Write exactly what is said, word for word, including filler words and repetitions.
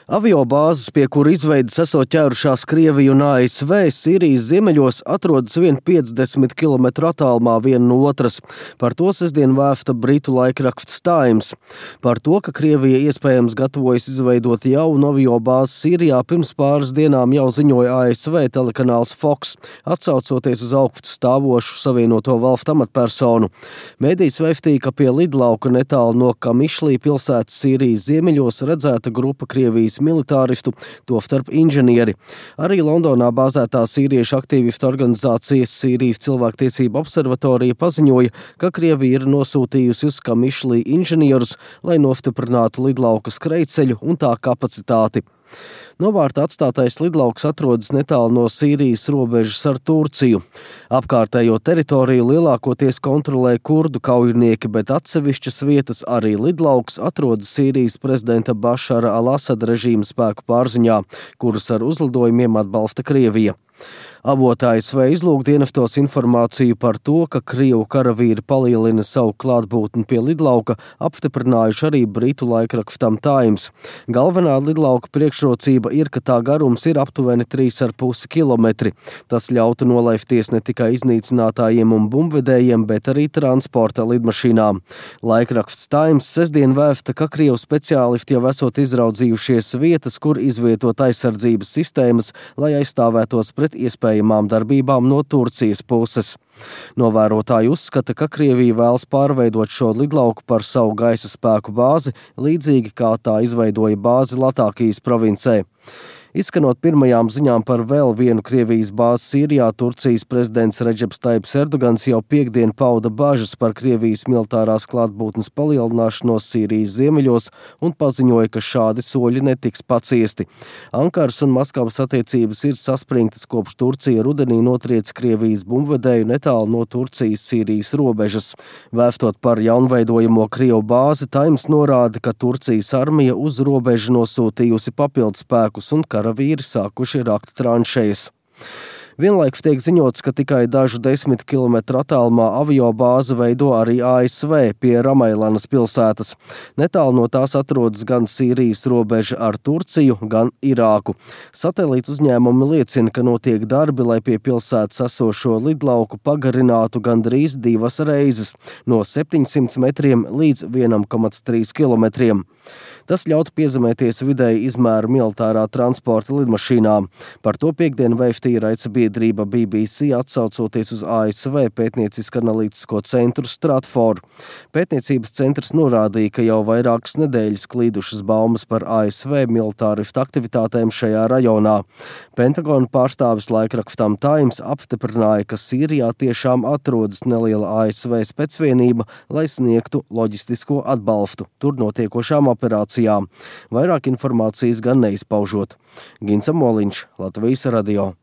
Aviobāzes, pie kura izveides esot ķērušās Krievija un A S V, Sīrijas ziemeļos atrodas vien piecdesmit kilometru attālumā viena no otras. Par to sestdien vēsta britu laikraksts Times. Par to, ka Krievija iespējams gatavojas izveidot jaunu aviobāzi Sīrijā, pirms pāris dienām jau ziņoja A S V telekanāls Fox, atsaucoties uz augstu stāvošu Savienoto Valstu amatpersonu. Mēdījis vēstīja, ka pie lidlauka netālu no Kamišlī pilsētas Sīrijas ziemeļos redzēta grupa Krievijas militāristu, tostarp inženieri. Arī Londonā bāzētā sīriešu aktīvistu organizācijas Sīrijas cilvēktiesību observatorija paziņoja, ka Krievija ir nosūtījusi uz Kamišlī inženierus, lai nostiprinātu lidlauka skrejceļu un tā kapacitāti. Novārta atstātais lidlauks atrodas netālu no Sīrijas robežas ar Turciju. Apkārtējo teritoriju lielākoties kontrolē kurdu kaujinieki, bet atsevišķas vietas, arī lidlauks, atrodas Sīrijas prezidenta Bašara al-Asada režīma spēku pārziņā, kurus ar uzlidojumiem atbalsta Krievija. Avoti A S V izlūkdienestos informāciju par to, ka Krievu karavīri palielina savu klātbūtni pie lidlauka, apstiprinājuši arī britu laikrakstam Times. Galvenā lidlauka priekšrocība ir, ka tā garums ir aptuveni trīs ar pusi kilometri. Tas ļautu nolaisties ne tikai iznīcinātājiem un bumbvedējiem, bet arī transporta lidmašīnām. Laikraksts Times sestdien vēsta, ka Krievu speciālisti jau esot izraudzījušies vietas, kur izvietot aizsardzības sistēmas, lai aizstāvētos pret iespējām darbībām no Turcijas puses. Novērotāji uzskata, ka Krievija vēlas pārveidot šo lidlauku par savu gaisa spēku bāzi, līdzīgi kā tā izveidoja bāzi Latākijas provincē. Izskanot pirmajām ziņām par vēl vienu Krievijas bāzi Sīrijā, Turcijas prezidents Redžeps Taips Erdogans jau piekdien pauda bažas par Krievijas militārās klātbūtnes palielināšanos Sīrijas ziemeļos un paziņoja, ka šādi soļi netiks paciesti. Ankaras un Maskavas attiecības ir saspringtas, kopš Turcija rudenī notriec Krievijas bumbvedēju netālu no Turcijas-Sīrijas robežas. Vēstot par jaunveidojamo Krievu bāzi, Times norāda, ka Turcijas armija uz robežu nosūtījusi papildspēkus un karavīri sākuši rakt tranšejas. Vienlaikus tiek ziņots, ka tikai dažu desmit kilometru attālumā aviobāzi veido arī A S V pie Ramailanas pilsētas. Netālu no tās atrodas gan Sīrijas robeža ar Turciju, gan Irāku. Satelītu uzņēmumi liecina, ka notiek darbi, lai pie pilsētas esošo lidlauku pagarinātu gandrīz divas reizes, no septiņsimt metriem līdz vienam komats trīs kilometriem. Tas ļautu piezemēties vidēji izmēra militārā transporta lidmašīnām. Par to piekdien vēstīja raidsabiedrība B B C, atsaucoties uz A S V pētniecisko analītisko centru Stratfor. Pētniecības centrs norādīja, ka jau vairākas nedēļas klīdušas baumas par A S V militāristu aktivitātēm šajā rajonā. Pentagona pārstāvis laikrakstam Times apstiprināja, ka Sīrijā tiešām atrodas neliela A S V specvienība, lai sniegtu loģistisko atbalstu tur notiekošām operācijām. Vairāk informācijas gan neizpaužot. Gins Amoliņš, Latvijas radio.